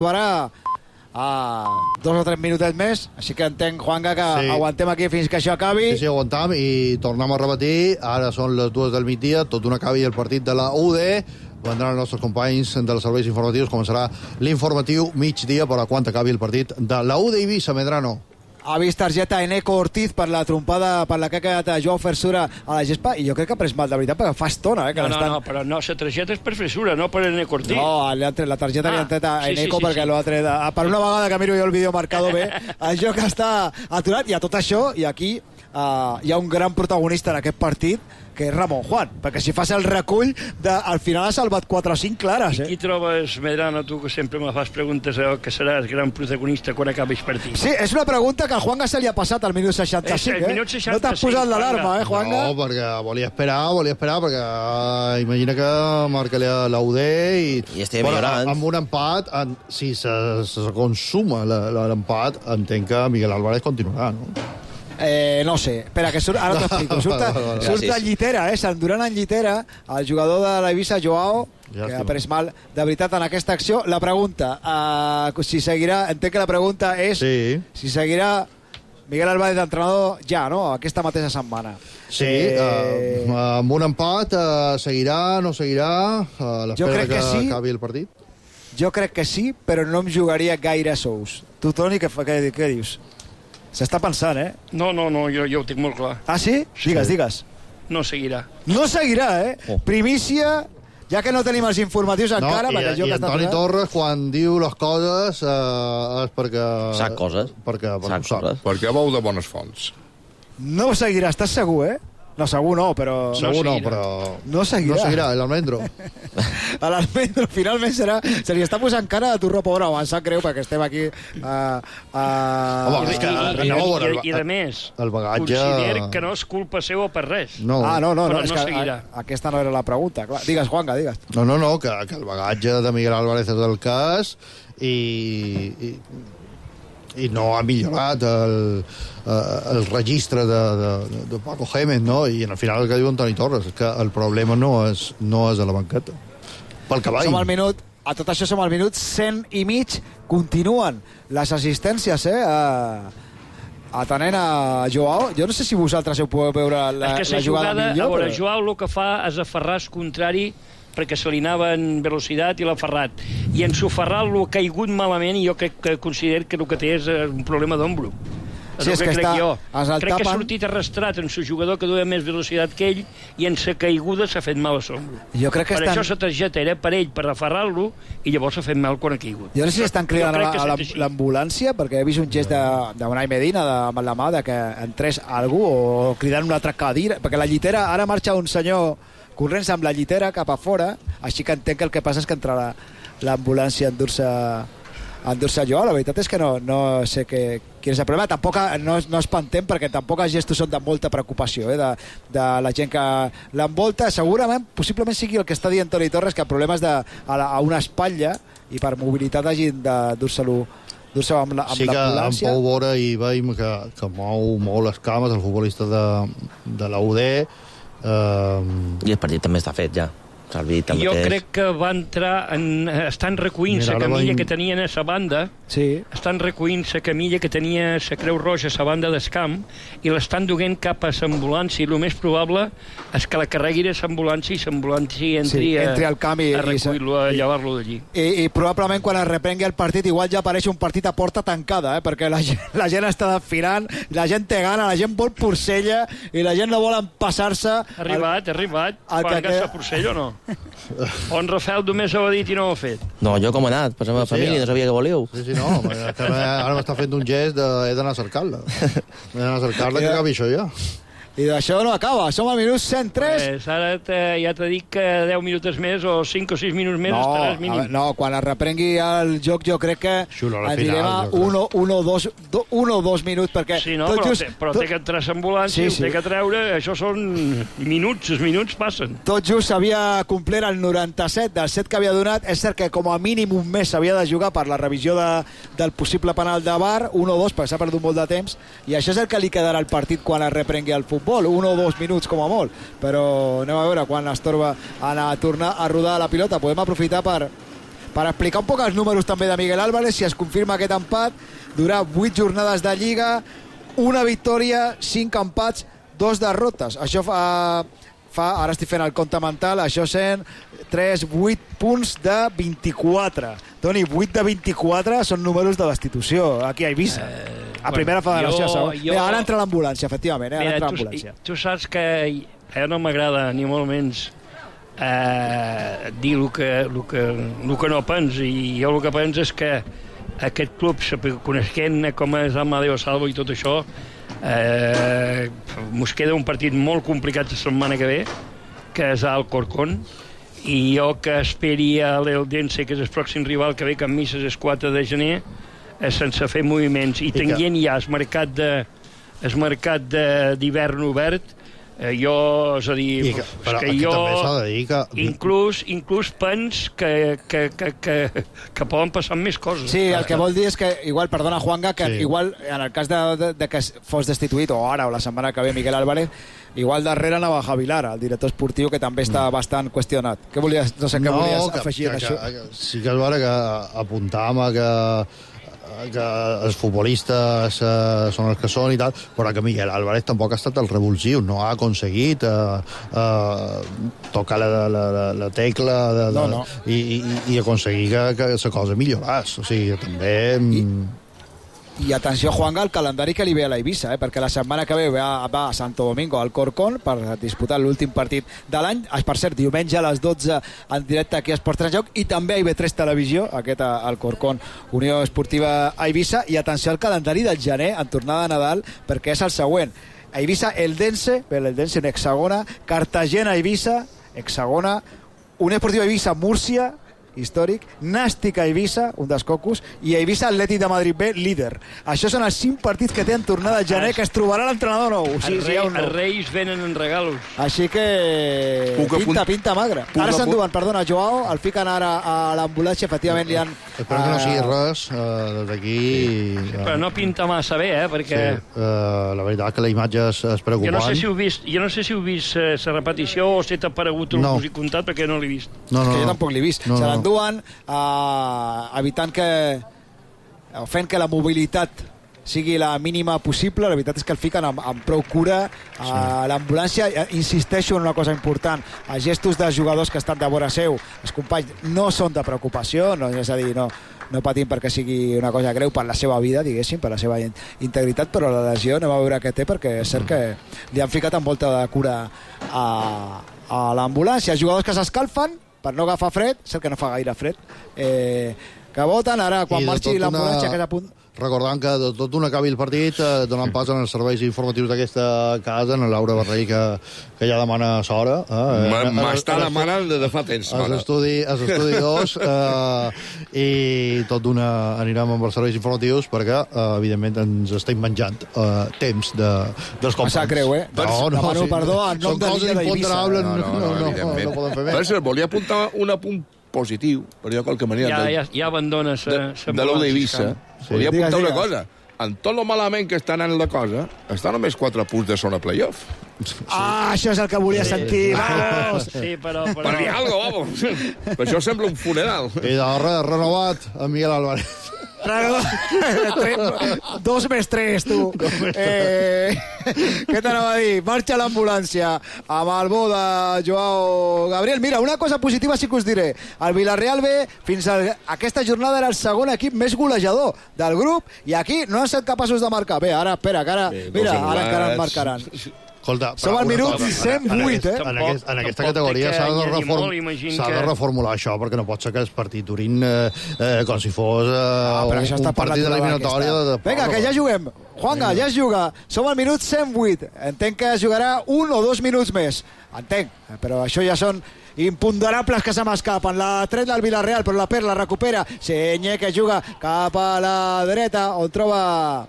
acabarà a 2 o 3 minutets més, així que entenc, Juanga, que aguantem aquí fins que això acabi. Sí, aguantam i tornem a repetir. Ara són les 2 del migdia, tot un acabi el partit de la UD. Vendran els nostres companys dels serveis informatius. Començarà l'informatiu migdia per a quan acabi el partit de la UD Eivissa, Medrano. Ha vist targeta Eneco Ortiz per la trompada per la que ha quedat Joao Fersura a la gespa, i jo crec que ha pres mal, de veritat, perquè fa estona que no, però no, la targeta és per Fersura, no per Eneco Ortiz. No, la targeta li han tret a Eneco perquè l'ha tret. Per una vegada que miro jo el vídeo marcado bé, el joc està aturat, i a tot això, i aquí hi ha un gran protagonista en aquest partit, que és Ramon Juan, perquè si fas el recull, al final ha salvat 4 o 5 clares. I qui trobes, Medrano, tu que sempre me fas preguntes que seràs gran protagonista quan acabis partit? Sí, és una pregunta que a Juanga se li ha passat al minut 65, minut 65, no t'has posat l'alarma, Juanga? No, perquè volia esperar, perquè imagina que marca la UD i estem millorant. Amb un empat, si se consuma l'empat, entenc que Miguel Álvarez continuarà, no? No sé, espera, que ara t'ho explico. Surt en llitera, s'endurant en llitera el jugador de l'Eivissa, Joao, que ha pres mal de veritat en aquesta acció. La pregunta, si seguirà, entenc que la pregunta és si seguirà Miguel Álvarez d'entrenador ja, no?, aquesta mateixa setmana. Sí, amb un empat seguirà, no seguirà, a l'espera que acabi el partit? Jo crec que sí, però no em jugaria gaire sous. Tu, Toni, què dius? S'està pensant, No, jo ho tinc molt clar. Ah, sí? Digues. No seguirà. No seguirà, Primícia, ja que no tenim els informatius encara. I Antoni Torres, quan diu les coses, és perquè... Sap coses. Perquè veu de bones fonts. No seguirà, estàs segur, No, segur no, però... Segur no, però... No seguirà. No seguirà, l'Almendro. L'Almendro finalment se li està posant cara a Turro Pobre. Em sap greu perquè estem aquí Home, i a més, el bagatge... considero que no és culpa seva per res. No, no, però és no que seguirà. Aquesta no era la pregunta. Clar. Digues, Juanga, digues. No, que el bagatge de Miguel Álvarez és el cas i no ha millorat el registre de Paco Gémez, no? I al final el que diu Antoni Torres és que el problema no és a la banqueta, pel cavall. A tot això som al minut 100 i mig. Continuen les assistències atenent a Joao. Jo no sé si vosaltres ho podeu veure la jugada millor. A veure, Joao el que fa és aferrar el contrari perquè se li anava en velocitat i l'ha aferrat. I en Soferral l'ha caigut malament i jo crec que considero que el que té és un problema d'ombro. Sí, és que crec que ha sortit arrastrat en su jugador que duia més velocitat que ell i en sa caiguda s'ha fet mal a l'ombro. Per això la targeta era per ell, per aferrar-lo, i llavors s'ha fet mal quan ha caigut. Jo no sé si estan cridant a l'ambulància, perquè he vist un gest d'Unai Medina amb la mà que entrés algú o cridant una altra cadira, perquè la llitera, ara marxa un senyor corrents amb la llitera cap a fora, així que entenc que el que passa és que entrarà l'ambulància a endur-se Joao. La veritat és que no sé quin és el problema. Tampoc no espantem, perquè tampoc els gestos són de molta preocupació de la gent que l'envolta. Segurament, possiblement sigui el que està dient Toni Torres, que el problema és a una espatlla i per mobilitat hagin de dur-se-lo amb l'ambulància. Sí que en Pau Vora hi veiem que mou les cames el futbolista de la UD. I el partit també està fet ja. Jo crec que va entrar estan recollint la camilla que tenien a la banda, estan recollint la camilla que tenia la Creu Roja a la banda del camp i l'estan duent cap a l'ambulància, i el més probable és que la carregui a l'ambulància i l'ambulància entri al camp a recollir-lo, a llevar-lo d'allí. I probablement quan es reprengui el partit igual ja apareix un partit a porta tancada, perquè la gent està desfilant, la gent té gana, la gent vol Porcella i la gent no vol empassar-se. Ha arribat. Quan gasta Porcella o no? O en Rafael només ho ha dit i no ho ha fet? No, jo com he anat, per la meva família, no sabia que volíeu. Sí, no, ara m'està fent un gest he d'anar a cercar-la. He d'anar a cercar-la, que acabi això ja. I d'això no acaba, som al minut 103. Ara ja t'he dit que 10 minuts més o 5 o 6 minuts més estaràs mínim. No, quan es reprengui el joc jo crec que anirem a 1 o 2 minuts, perquè... Sí, no, però té que entrar a l'ambulància, té que treure, això són minuts, els minuts passen. Tot just s'havia complert el 97 del set que havia donat. És cert que com a mínim un mes s'havia de jugar per la revisió del possible penal de VAR, 1 o 2, perquè s'ha perdut molt de temps, i això és el que li quedarà al partit quan es reprengui el futbol. 1 o 2 minuts com a molt, però anem a veure quan es torna a tornar a rodar la pilota. Podem aprofitar per Per explicar un poc els números també de Miguel Álvarez, si es confirma aquest empat, durà 8 jornades de Lliga, una victòria, 5 empats, 2 derrotes. Això fa ara estic fent el compte mental, això sent 8 punts de 24. Toni, 8 de 24 són números de destitució aquí a Eivissa. A primera federació. Ara entra l'ambulància, efectivament. Tu saps que no m'agrada ni molt menys dir el que no penso, i jo el que penso és que aquest club, coneixent com és Amadeo Salvo i tot això, mos queda un partit molt complicat la setmana que ve, que és al Corcón, i jo que esperi a l'Eldense, que és el pròxim rival que ve, que en misses és 4 de gener, sense fer moviments, i tenint ja el mercat d'hivern obert, jo, és a dir, inclús pens que poden passar més coses. Sí, el que vol dir és que, igual, perdona, Juanga, que igual, en el cas de que fos destituït, o ara, o la setmana que ve, Miguel Álvarez, igual darrere anava Javi Lara, el director esportiu, que també està bastant qüestionat. Què volies, no sé què volies afegir a això? Sí que és vera que apuntàvem que els futbolistes són els que són i tal, però que Miguel Álvarez tampoc ha estat el revulsiu, no ha aconseguit tocar la tecla i aconseguir que la cosa milloràs. O sigui, també... I atenció, Juanga, al calendari que li ve a l'Eivissa, perquè la setmana que ve va a Santo Domingo al Corcón per disputar l'últim partit de l'any. Per cert, diumenge a les 12 en directe aquí a Esports en Joc, i també a IB3 Televisió, aquest al Corcón, Unió Esportiva a Eivissa. I atenció al calendari del gener en tornada de Nadal, perquè és el següent: a Eivissa, Eldense, l'Eldense en hexagona, Cartagena, Eivissa, hexagona, Unió Esportiva Eivissa, Múrcia, històric, Nàstic a Eivissa, un dels cocos, i Eivissa Atlètic de Madrid B, líder. Això són els 5 partits que té en tornada de gener, que es trobarà l'entrenador nou. Els Reis venen en regalos. Així que pinta magre. Ara s'enduen, perdona, Joao, el fiquen ara a l'ambulància, efectivament li han... Espero que no sigui res d'aquí... Però no pinta massa bé, perquè... La veritat que la imatge és preocupant. Jo no sé si heu vist la repetició o si t'ha aparegut el que us he contat, perquè no l'he vist. És que jo tampoc l'he vist. Se l'enduen evitant fent que la mobilitat sigui la mínima possible. La veritat és que el fiquen amb prou cura a l'ambulància. Insisteixo en una cosa important: els gestos dels jugadors que estan de vora seu, els companys, no són de preocupació, és a dir, no patim perquè sigui una cosa greu per la seva vida, diguéssim, per la seva integritat, però la lesió anem a veure què té, perquè és cert que li han ficat amb molta de cura a l'ambulància. Els jugadors que s'escalfen per no agafar fred, cert que no fa gaire fred, que voten ara quan marxi l'ambulància, que és a punt... Recordant que de tot un acabi el partit, donant pas als serveis informatius d'aquesta casa, en Laura Barrell, que ja demana s'hora. M'està demanant de fa temps. Als estudi 2, i tot d'una anirem amb els serveis informatius perquè, evidentment, ens estem menjant temps dels companys. Massa greu, demano perdó en nom de l'Illa d'Eivissa. No podem fer més. Volia apuntar un apunt positiu, però jo qualque manera... Ja abandones de l'Ou d'Eivissa. Volia apuntar una cosa. En tot lo malament que està anant la cosa, està només 4 punts de zona playoff. Això és el que volia sentir, vamos! Sí, però... Per dir alguna cosa, vamos! Per això sembla un funeral. I de renovat a Miguel Álvarez. 2 més 3, tu. Què t'anava a dir? Marxa l'ambulància amb el bo de Joao Gabriel. Mira, una cosa positiva sí que us diré: el Villarreal B fins a aquesta jornada era el segon equip més golejador del grup, i aquí no han estat capaços de marcar. Bé, ara, espera, que ara... Mira, ara encara en marcaran. Escolta, som al minut 108, en aquesta categoria s'ha de reformular això, perquè no pot ser que el partit durin com si fos un partit de l'eliminatòria. Vinga, que ja juguem. Juanga, ja es juga. Som al minut 108. Entenc que es jugarà 1 o 2 minuts més. Entenc, però això ja són imponderables que se m'escapen. La tret del Villarreal, però la perd, la recupera. Senye, que juga cap a la dreta, on troba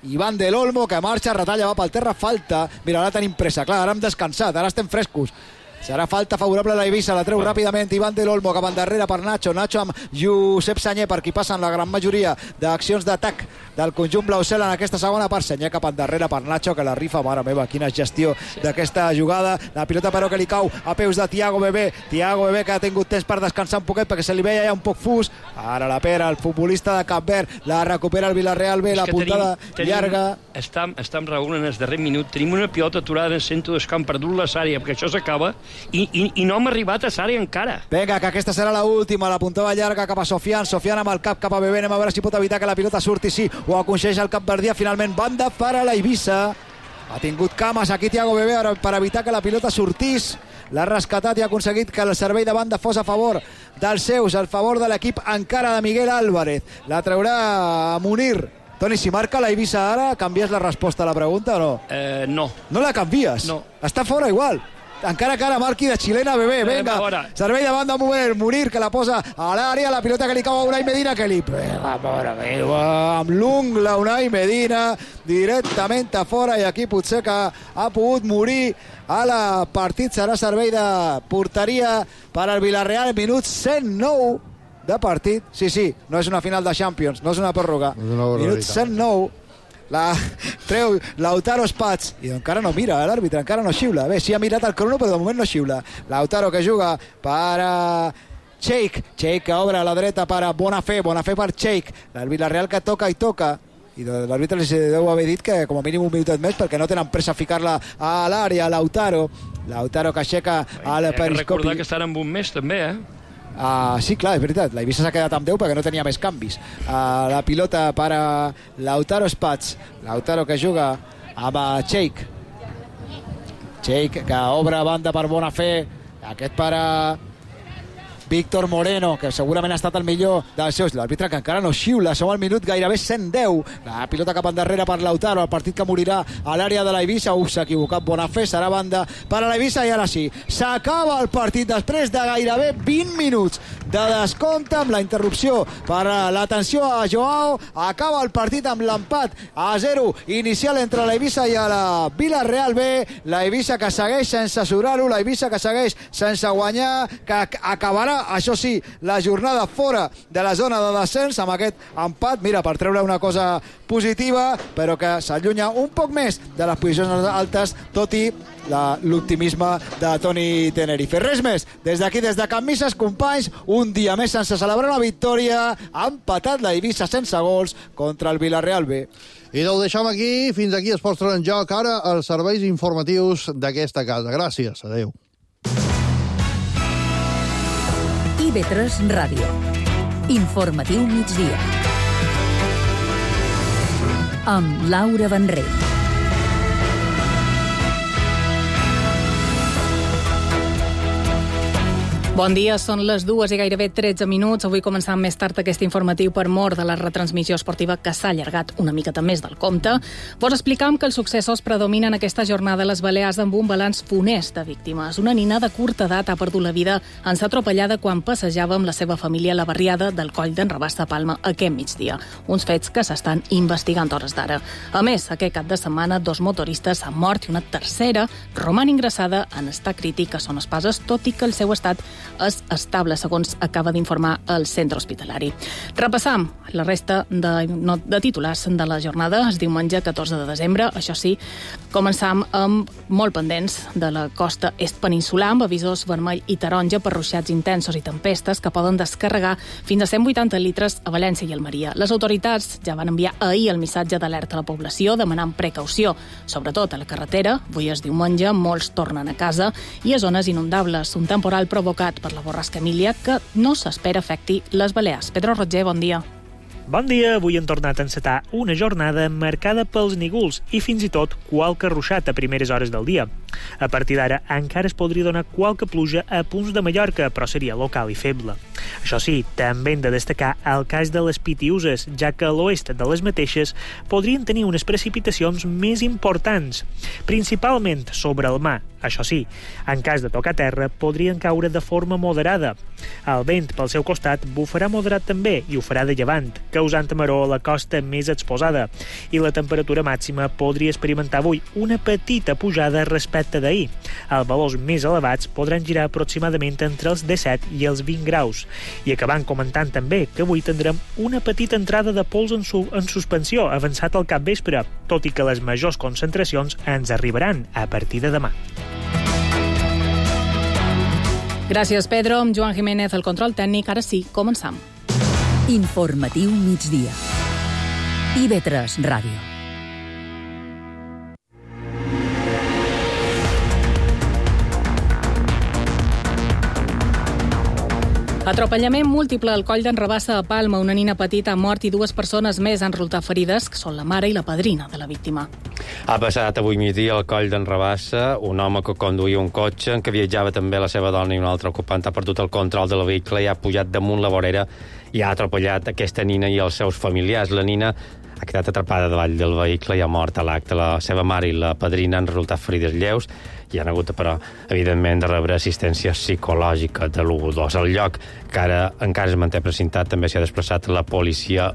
Iván del Olmo, que marxa, retalla, va pel terra, falta. Mira, ara tenim pressa, clar, ara hem descansat, ara estem frescos. Serà falta favorable a l'Eivissa, la treu ràpidament Iván del Olmo, cap endarrere per Nacho amb Josep Sanyer, per qui passen la gran majoria d'accions d'atac del conjunt blau-cel en aquesta segona part. Senyer cap endarrere per Nacho, que la rifa, mare meva, quina gestió d'aquesta jugada. La pilota però que li cau a peus de Thiago Bebé. Thiago Bebé, que ha tingut temps per descansar un poquet perquè se li veia ja un poc fus. Ara la Pera, el futbolista de Cap Verd, la recupera el Villarreal B, la puntada llarga. Estem Raül, en el darrer minut. Tenim una pilota aturada en el centre del camp, perdut la Sària, perquè això s'acaba, i no hem arribat a Sària encara. Vinga, que aquesta serà l'última, la puntada llarga cap a Sofian amb el cap cap a Bebé, anem a veure si pot evitar que la pilota surti, sí, ho aconsegueix el capverdià, finalment banda per a la Eivissa. Ha tingut cames aquí Thiago Bebé per evitar que la pilota sortís, l'ha rescatat i ha aconseguit que el servei de banda fos a favor dels seus, a favor de l'equip encara de Miguel Álvarez. La traurà Munir. Toni, si marca la Eivissa ara, canvies la resposta a la pregunta o no? No. No la canvies? No. Està fora igual. Encara que ara marqui de xilena Bebé, venga, servei de banda Munir, que la posa a l'àrea, la pilota que li cau a Unai Medina, que li pega, mare meva, amb l'ungla Unai Medina, directament a fora, i aquí potser que ha pogut morir a la partit. Serà servei de porteria per al Villarreal, minut 109 de partit. Sí, no és una final de Champions, no és una pròrroga, minut 109. La treu Lautaro Spats i encara no mira l'àrbitre, encara no xiula. Bé, sí ha mirat el crono, però de moment no xiula. Lautaro que juga per a Cheik que obre a la dreta per a Bonafé per Cheik. El Villarreal que toca i toca, i l'àrbitre li deu haver dit que com a mínim un minutet més, perquè no tenen pressa a ficar-la a l'àrea. Lautaro que aixeca el periscopi. Recordar que estan amb un mes també, sí, clar, és veritat, la Eivissa s'ha quedat amb 10 perquè no tenia més canvis. La pilota per a Lautaro Spats, Lautaro que juga amb Cheik que obre banda per Bonafé, aquest per a Víctor Moreno, que segurament ha estat el millor dels seus. L'àrbitre que encara no xiula, som al minut gairebé 110. La pilota cap endarrere per Lautaro, el partit que morirà a l'àrea de la Eivissa. S'ha equivocat Bonafé, serà banda per a la Eivissa, i ara sí, s'acaba el partit després de gairebé 20 minuts de descompte, amb la interrupció per l'atenció a Joao. Acaba el partit amb l'empat a 0 inicial entre la Eivissa i la Villarreal B. La Eivissa que segueix sense surar-ho, la Eivissa que segueix sense guanyar, que acabarà, això sí, la jornada fora de la zona de descens amb aquest empat, mira, per treure una cosa positiva, però que s'allunya un poc més de les posicions altes, tot i l'optimisme de Toni Tenerife. Res més, des d'aquí, des de Can Misses, companys, un dia més sense celebrar una victòria. Ha empatat la Eivissa sense gols contra el Villarreal B. I ho deixem aquí, fins aquí es posen en joc ara els serveis informatius d'aquesta casa. Gràcies, adeu. IB3 Ràdio. Informatiu migdia. Amb Laura Benrell. Bon dia, són les 2 i gairebé 13 minuts. Avui començam més tard aquest informatiu per mort de la retransmissió esportiva, que s'ha allargat una miqueta més del compte. Vos explicam que els successos predominen aquesta jornada a les Balears amb un balanç funest de víctimes. Una nina de curta edat ha perdut la vida en ser atropellada quan passejava amb la seva família a la barriada del Coll d'en Rabassa, Palma, aquest migdia. Uns fets que s'estan investigant hores d'ara. A més, aquest cap de setmana 2 motoristes han mort i una tercera roman ingressada en estat crític a Son Espases, tot i que el seu estat és estable, segons acaba d'informar el centre hospitalari. Repassam la resta de titulars de la jornada. Es diumenge 14 de desembre, això sí, començam amb molt pendents de la costa est peninsular, amb avisos vermell i taronja per ruixats intensos i tempestes que poden descarregar fins a 180 litres a València i Almeria. Les autoritats ja van enviar ahir el missatge d'alerta a la població demanant precaució, sobretot a la carretera. Avui és diumenge, molts tornen a casa, i a zones inundables, un temporal provocat per la borrasca Emília que no s'espera afecti les Balears. Pedro Roger, bon dia. Bon dia, avui hem tornat a encetar una jornada marcada pels nígols i fins i tot qualque ruixat a primeres hores del dia. A partir d'ara encara es podria donar qualque pluja a punts de Mallorca, però seria local i feble. Això sí, també hem de destacar el cas de les Pitiuses, ja que a l'oest de les mateixes podrien tenir unes precipitacions més importants, principalment sobre el mar. Això sí, en cas de tocar terra, podrien caure de forma moderada. El vent, pel seu costat, bufarà moderat també i ho farà de llevant, causant amaror a la costa més exposada. I la temperatura màxima podria experimentar avui una petita pujada respecte data d'ahir. Els valors més elevats podran girar aproximadament entre els 17 i els 20 graus. I acabant comentant també que avui tindrem una petita entrada de pols en suspensió avançat al capvespre, tot i que les majors concentracions ens arribaran a partir de demà. Gràcies, Pedro. Amb Joan Jiménez, el control tècnic. Ara sí, començam. Informatiu migdia. IB3 Ràdio. Atropellament múltiple al coll d'en Rabassa a Palma. Una nina petita ha mort i 2 persones més han resultat ferides, que són la mare i la padrina de la víctima. Ha passat avui migdia al coll d'en Rabassa. Un home que conduïa un cotxe en què viatjava també la seva dona i un altre ocupant ha perdut el control del vehicle i ha pujat damunt la vorera i ha atropellat aquesta nina i els seus familiars. La nina ha quedat atrapada davall del vehicle i ha mort a l'acte. La seva mare i la padrina han resultat ferides lleus i han hagut, però, evidentment, de rebre assistència psicològica de l'112. Al lloc, que ara encara es manté precintat, també s'hi ha desplaçat la policia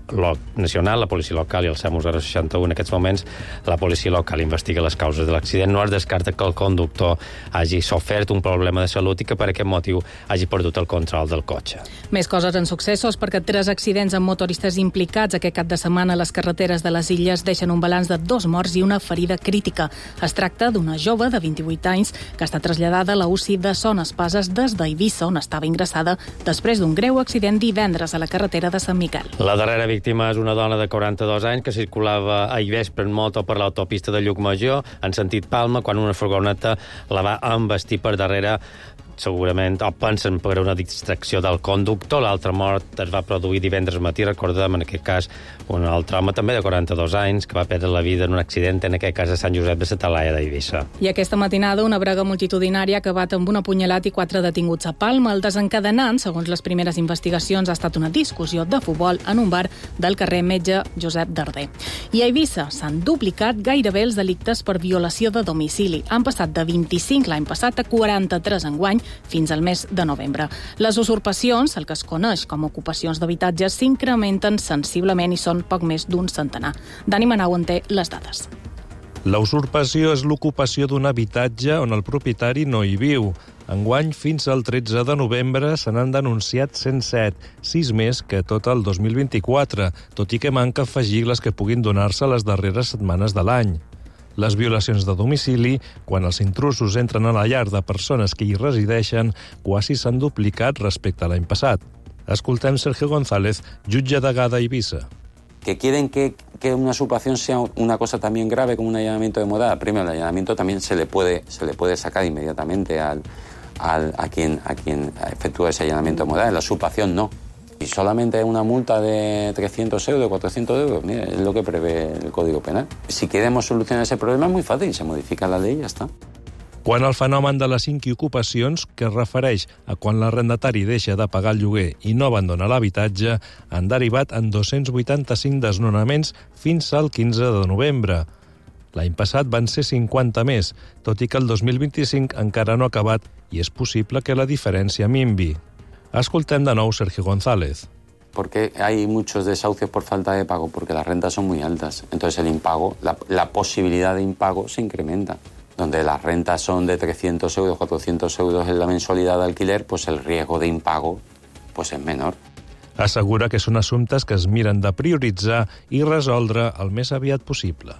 nacional, la policia local i el SAMU 061. En aquests moments, la policia local investiga les causes de l'accident. No es descarta que el conductor hagi sofert un problema de salut i que per aquest motiu hagi perdut el control del cotxe. Més coses en successos, perquè 3 accidents amb motoristes implicats aquest cap de setmana a les carreteres de les Illes deixen un balanç de 2 morts i una ferida crítica. Es tracta d'una jove de 28 anys que està traslladada a la UCI de Son Espases des d'Eivissa, on estava ingressada després d'un greu accident divendres a la carretera de Sant Miquel. La darrera víctima és una dona de 42 anys que circulava ahir vespre en moto per l'autopista de Llucmajor en sentit Palma quan una furgoneta la va embestir per darrere, segurament, o pensen per una distracció del conductor. L'altra mort es va produir divendres matí, recordem, en aquest cas, un altre home també de 42 anys que va perdre la vida en un accident, en aquest cas a Sant Josep de la Talaia d'Eivissa. I aquesta matinada una brega multitudinària ha acabat amb un apunyalat i 4 detinguts a Palma. El desencadenant, segons les primeres investigacions, ha estat una discussió de futbol en un bar del carrer Metge Josep Darder. I a Eivissa s'han duplicat gairebé els delictes per violació de domicili. Han passat de 25 l'any passat a 43 enguany, fins al mes de novembre. Les usurpacions, el que es coneix com ocupacions d'habitatges, s'incrementen sensiblement i són poc més d'un centenar. Dani Manau en té les dades. La usurpació és l'ocupació d'un habitatge on el propietari no hi viu. Enguany, fins al 13 de novembre, se n'han denunciat 107, 6 més que tot el 2024, tot i que manca afegir les que puguin donar-se les darreres setmanes de l'any. Les violacions de domicili, quan els intrusos entren a la llar de persones que hi resideixen, quasi s'han duplicat respecte a l'any passat. Escoltem Sergio González, jutge degà d'Eivissa. Que quieren que una usurpación sea una cosa también grave como un allanamiento de morada. Primero, el allanamiento también se le puede sacar inmediatamente a quien efectúa ese allanamiento de morada. La usurpación no. Y solamente una multa de 300 euros, 400 euros, mira, es lo que prevé el Código Penal. Si queremos solucionar ese problema es muy fácil, se modifica la ley y ya está. Quan el fenomen de les inquiocupacions, que es refereix a quan l'arrendatari deixa de pagar el lloguer i no abandona l'habitatge, han derivat en 285 desnonaments fins al 15 de novembre. L'any passat van ser 50 més, tot i que el 2025 encara no ha acabat i és possible que la diferència minvi. Escoltem de nou Sergio González. ¿Por qué hay muchos desahucios por falta de pago? Porque las rentas son muy altas. Entonces el impago, la posibilidad de impago se incrementa. Donde las rentas son de 300 euros, 400 euros en la mensualidad de alquiler, pues el riesgo de impago pues es menor. Assegura que són assumptes que es miren de prioritzar i resoldre el més aviat possible.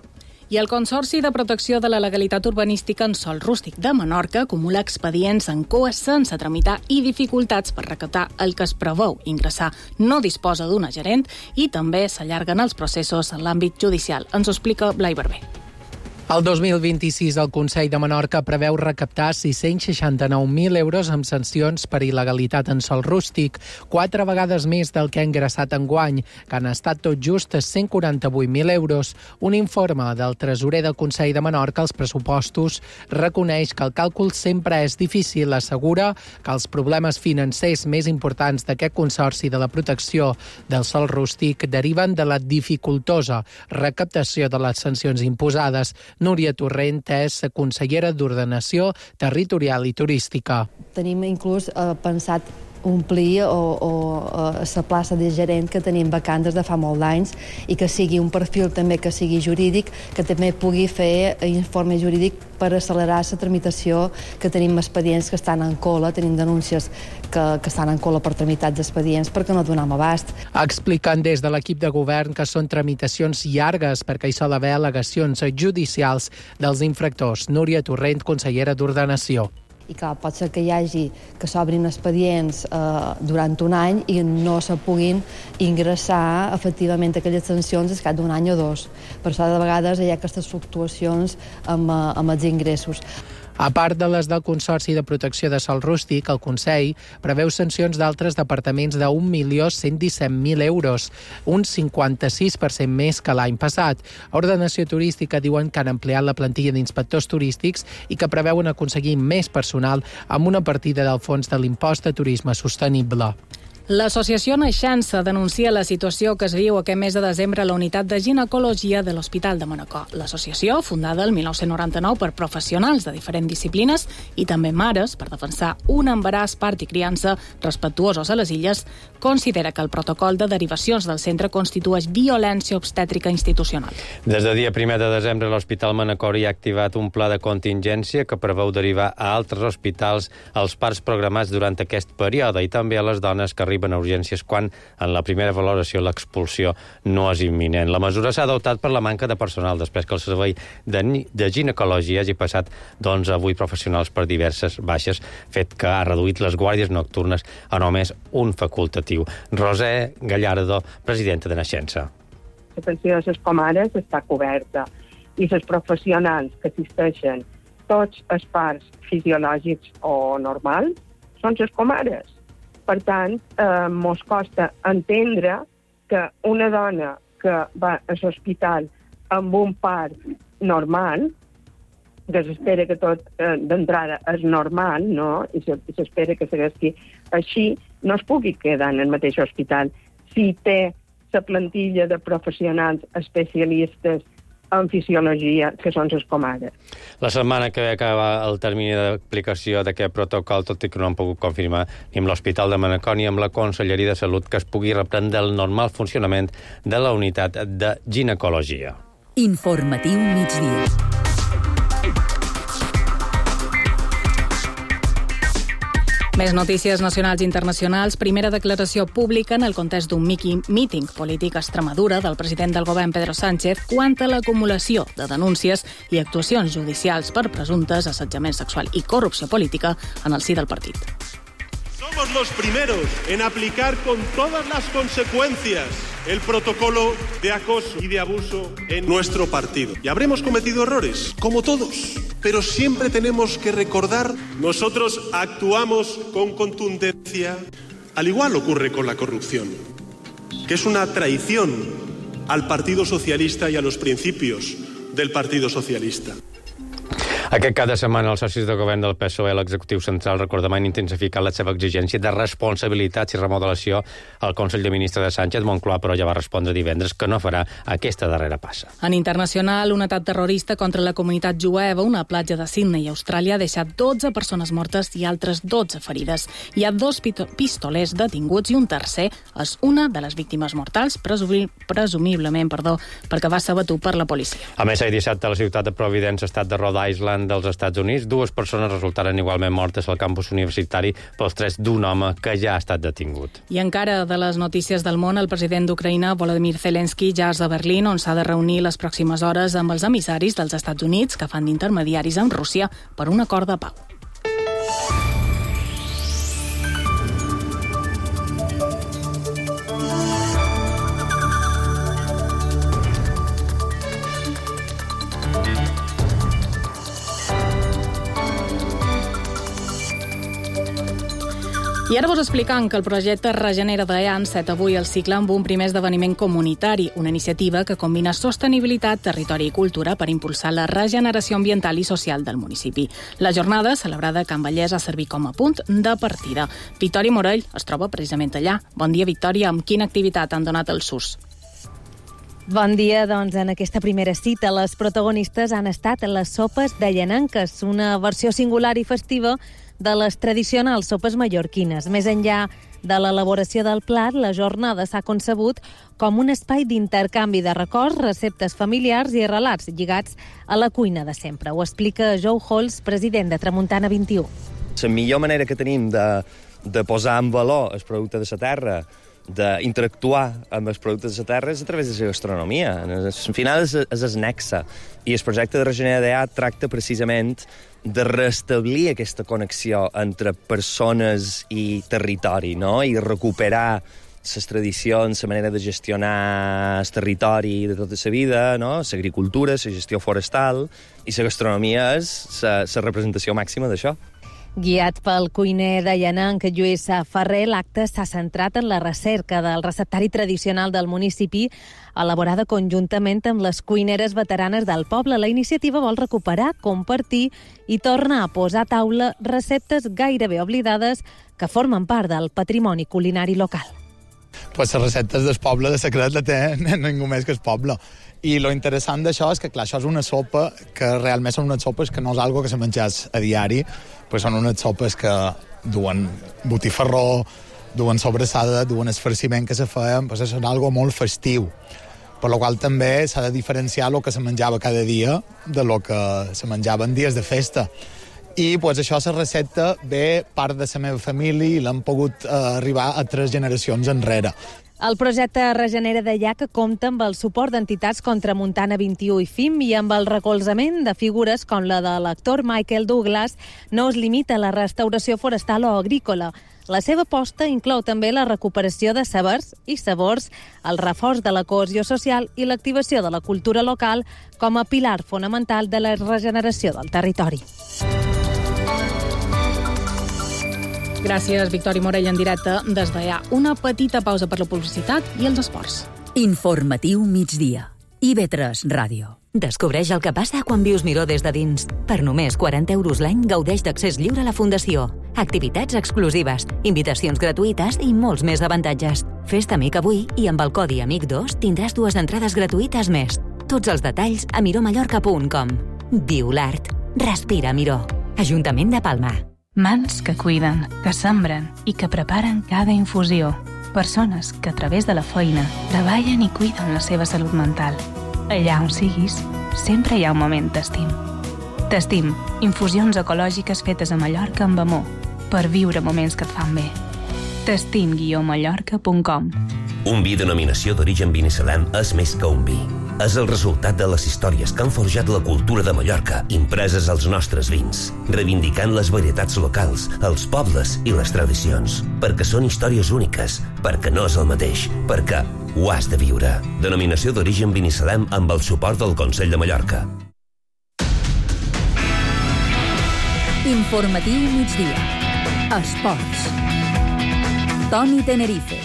I el Consorci de Protecció de la Legalitat Urbanística en Sòl Rústic de Menorca acumula expedients en cua sense tramitar i dificultats per recaptar el que es preveu ingressar. No disposa d'una gerent i també s'allarguen els processos en l'àmbit judicial. Ens ho explica Blai Barber. El 2026 el Consell de Menorca preveu recaptar 669.000 euros amb sancions per il·legalitat en sòl rústic, 4 vegades més del que ha ingressat enguany, que han estat tot just 148.000 euros. Un informe del tresorer del Consell de Menorca als pressupostos reconeix que el càlcul sempre és difícil, assegura que els problemes financers més importants d'aquest Consorci de la Protecció del Sòl Rústic deriven de la dificultosa recaptació de les sancions imposades. Núria Torrent és consellera d'Ordenació Territorial i Turística. Tenim inclús pensat omplir la plaça de gerent que tenim vacant des de fa molt d'anys i que sigui un perfil també que sigui jurídic, que també pugui fer informe jurídic per accelerar la tramitació, que tenim expedients que estan en cola, tenim denúncies que estan en cola per tramitats d'expedients perquè no donem abast. Expliquen des de l'equip de govern que són tramitacions llargues perquè hi sol haver al·legacions judicials dels infractors. Núria Torrent, consellera d'Ordenació. I clar, pot ser que s'obrin expedients durant un any i no se puguin ingressar efectivament aquelles sancions al cap d'un any o dos. Per això de vegades hi ha aquestes fluctuacions amb els ingressos. A part de les del Consorci de Protecció de Sòl Rústic, el Consell preveu sancions d'altres departaments de 1.117.000 euros, un 56% més que l'any passat. A Ordenació Turística diuen que han ampliat la plantilla d'inspectors turístics i que preveuen aconseguir més personal amb una partida del fons de l'impost de turisme sostenible. L'associació Naixença denuncia la situació que es viu aquest mes de desembre a la unitat de ginecologia de l'Hospital de Manacor. L'associació, fundada el 1999 per professionals de diferents disciplines i també mares per defensar un embaràs, part i criança respectuosos a les illes, considera que el protocol de derivacions del centre constitueix violència obstètrica institucional. Des del dia 1 de desembre, l'Hospital Manacor hi ha activat un pla de contingència que preveu derivar a altres hospitals els parts programats durant aquest període i també a les dones que arriben a urgències quan, en la primera valoració, l'expulsió no és imminent. La mesura s'ha adoptat per la manca de personal, després que el servei de ginecologia hagi passat d'11 a 8 professionals per diverses baixes, fet que ha reduït les guàrdies nocturnes a només un facultatiu. Roser Gallardo, presidenta de Naixença. La pensió de les comares està coberta i els professionals que assisteixen tots els parts fisiològics o normals són les comares. Per tant, mos costa entendre que una dona que va a l'hospital amb un part normal, que s'espera que tot d'entrada és normal, no? I s'espera que segueixi així, no es pugui quedar en el mateix hospital. Si té la plantilla de professionals especialistes en fisiologia, que són les comares. La setmana que acaba el termini d'aplicació d'aquest protocol, tot i que no han pogut confirmar ni amb l'Hospital de Manacor ni amb la Conselleria de Salut que es pugui reprendre el normal funcionament de la unitat de ginecologia. Informatiu migdia. Més notícies nacionals i internacionals. Primera declaració pública en el context d'un míting polític a Extremadura del president del govern Pedro Sánchez quant a l'acumulació de denúncies i actuacions judicials per presumptes assetjament sexual i corrupció política en el si del partit. Somos los primeros en aplicar con todas las consecuencias el protocolo de acoso y de abuso en nuestro partido. Y habremos cometido errores, como todos, pero siempre tenemos que recordar, nosotros actuamos con contundencia, al igual ocurre con la corrupción, que es una traición al Partido Socialista y a los principios del Partido Socialista. Aquest cap de setmana els socis de govern del PSOE a l'executiu central recordaven intensificar la seva exigència de responsabilitats i remodelació al Consell de Ministres de Sánchez. Moncloa, però, ja va respondre divendres que no farà aquesta darrera passa. En internacional, un atac terrorista contra la comunitat jueva a una platja de Sydney, Austràlia, ha deixat 12 persones mortes i altres 12 ferides. Hi ha 2 pistolers detinguts i un tercer és una de les víctimes mortals, presumiblement, perquè va ser abatut per la policia. A més, ahir dissabte a la ciutat de Providence, estat de Rhode Island, dels Estats Units, 2 persones resultaren igualment mortes al campus universitari pels trets d'un home que ja ha estat detingut. I encara de les notícies del món, el president d'Ucraïna, Volodymyr Zelensky, ja és a Berlín, on s'ha de reunir les pròximes hores amb els emissaris dels Estats Units que fan d'intermediaris amb Rússia per un acord de pau. I ara vos explicam que el projecte Regenera d'EA ha enceta avui el cicle amb un primer esdeveniment comunitari, una iniciativa que combina sostenibilitat, territori i cultura per impulsar la regeneració ambiental i social del municipi. La jornada, celebrada a Can Vallès, ha servit com a punt de partida. Victòria Morell es troba precisament allà. Bon dia, Victòria. Amb quina activitat han donat el SUS? Bon dia, doncs en aquesta primera cita les protagonistes han estat les sopes de llenanques, una versió singular i festiva de les tradicionals sopes mallorquines. Més enllà de l'elaboració del plat, la jornada s'ha concebut com un espai d'intercanvi de records, receptes familiars i relats lligats a la cuina de sempre. Ho explica Joe Halls, president de Tramuntana 21. La millor manera que tenim de posar en valor el producte de la terra, d'interactuar amb els productes de la terra, és a través de la gastronomia. Al final és el nexe. I el projecte de Regenera DA tracta precisament de restablir aquesta connexió entre persones i territori, no? I recuperar les tradicions, la manera de gestionar el territori de tota la vida, no? L'agricultura, la gestió forestal, i la gastronomia és la representació màxima d'això. Guiat pel cuiner de Llananc, Lluís Ferrer, l'acte s'ha centrat en la recerca del receptari tradicional del municipi, elaborada conjuntament amb les cuineres veteranes del poble. La iniciativa vol recuperar, compartir i tornar a posar a taula receptes gairebé oblidades que formen part del patrimoni culinari local. Pues les receptes del poble de secret la té ningú més que el poble. I lo interessant d'això és que, clar, això és una sopa que realment són unes sopes que no és algo que se menjàs a diari, però són unes sopes que duen botifarró, duen sobrassada, duen esfarciment que se feien, pues és algo molt festiu. Per la qual també s'ha de diferenciar el que se menjava cada dia de lo que se menjava en dies de festa. I pues, això, la recepta ve part de la meva família i l'han pogut arribar a 3 generacions enrere. El projecte Regenera DA, que compta amb el suport d'entitats com Tramuntana 21 i FIM i amb el recolzament de figures com la de l'actor Michael Douglas, no es limita a la restauració forestal o agrícola. La seva aposta inclou també la recuperació de sabers i sabors, el reforç de la cohesió social i l'activació de la cultura local com a pilar fonamental de la regeneració del territori. Gràcies, Victòria Morell, en directe des d'allà. Una petita pausa per la publicitat i els esports. Informatiu migdia. IB3 Ràdio. Descobreix el que passa quan vius Miró des de dins. Per només 40 € l'any gaudeix d'accés lliure a la Fundació. Activitats exclusives, invitacions gratuïtes i molts més avantatges. Fes-te amic avui i amb el codi AMIC2 tindràs 2 entrades gratuïtes més. Tots els detalls a miromallorca.com. Viu l'art. Respira Miró. Ajuntament de Palma. Mans que cuiden, que sembren i que preparen cada infusió. Persones que a través de la feina treballen i cuiden la seva salut mental. Allà on siguis, sempre hi ha un moment T'estim. T'estim, infusions ecològiques fetes a Mallorca amb amor, per viure moments que et fan bé. T'estim-mallorca.com. Un vi denominació d'origen Binissalem és més que un vi. És el resultat de les històries que han forjat la cultura de Mallorca, impreses als nostres vins, reivindicant les varietats locals, els pobles i les tradicions, perquè són històries úniques, perquè no és el mateix, perquè ho has de viure. Denominació d'origen Binissalem amb el suport del Consell de Mallorca. Informatiu migdia. Esports. Toni Tenerife.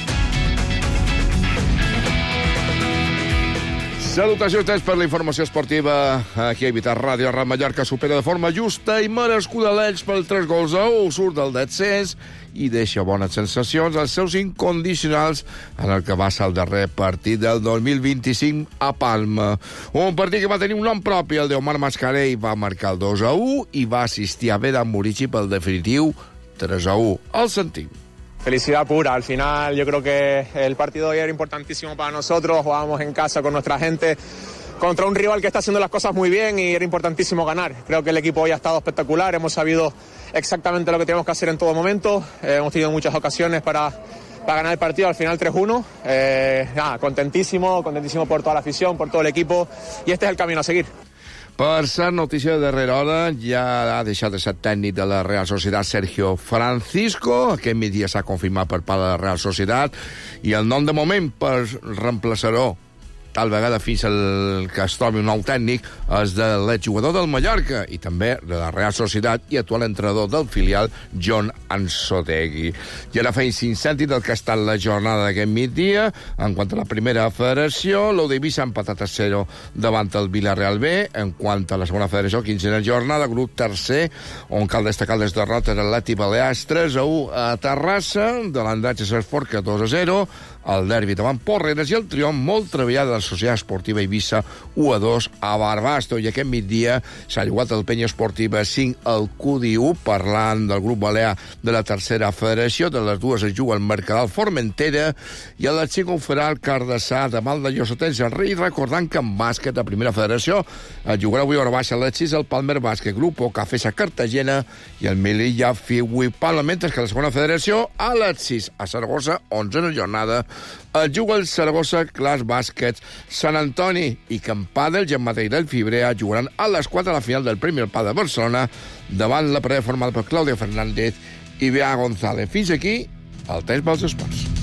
Salutacions per la informació esportiva aquí a IB3 Ràdio. El Mallorca supera de forma justa i merescuda l'Elx pel 3-1, surt del descens i deixa bones sensacions als seus incondicionals en el que va ser el darrer partit del 2025 a Palma. Un partit que va tenir un nom propi, el d'Omar Mascarell, va marcar el 2-1 i va assistir a Vedan Murici pel definitiu 3-1. El sentim. Felicidad pura, al final yo creo que el partido de hoy era importantísimo para nosotros, jugábamos en casa con nuestra gente contra un rival que está haciendo las cosas muy bien y era importantísimo ganar. Creo que el equipo hoy ha estado espectacular, hemos sabido exactamente lo que teníamos que hacer en todo momento, hemos tenido muchas ocasiones para ganar el partido, al final 3-1, contentísimo por toda la afición, por todo el equipo y este es el camino a seguir. Per ser notícia de darrera hora, ja ha deixat de ser tècnic de la Real Societat Sergio Francisco. Aquest migdia s'ha confirmat per part de la Real Societat i el nom de moment per reemplaçar-ho, tal vegada fins al que es trobi un nou tècnic, és de l'exjugador del Mallorca i també de la Real Societat i actual entrenador del filial, Jon Ansotegui. I ara feim 5 cèntims del que ha estat la jornada d'aquest migdia. En quant a la primera federació, l'Odevi s'ha empatat a 0 davant el Villarreal B. En quant a la segona federació, 15a jornada, grup tercer, on cal destacar les derrotes de l'Atlètic Balears 3-1 a Terrassa, de l'Andratx Esforca 2-0, el derbi davant Porreres i el triomf molt treballat de la Societat Esportiva Eivissa 1-2 a Barbasto. I aquest migdia s'ha jugat el Penya Esportiva 5 al QD1, parlant del grup balear de la tercera federació. De les dues es juga el Mercadal Formentera i el 5 ho farà el Cardassà de Mal de Llosotens el Rei, recordant que en bàsquet a primera federació es jugarà avui a hora baixa a les 6 el Palmer Bàsquet Grupo Cafesa Cartagena i el Melilla Fiui Palma, mentre que la segona federació a les 6 a Saragossa, 11a jornada, es juga el Saragossa Class Bàsquet Sant Antoni i que en pàdel i en Madeira el Fibrea jugaran a les 4 a la final del Premi al Pàdel de Barcelona davant la parella formada per Clàudia Fernández i Bea González. Fins aquí el temps pels esports.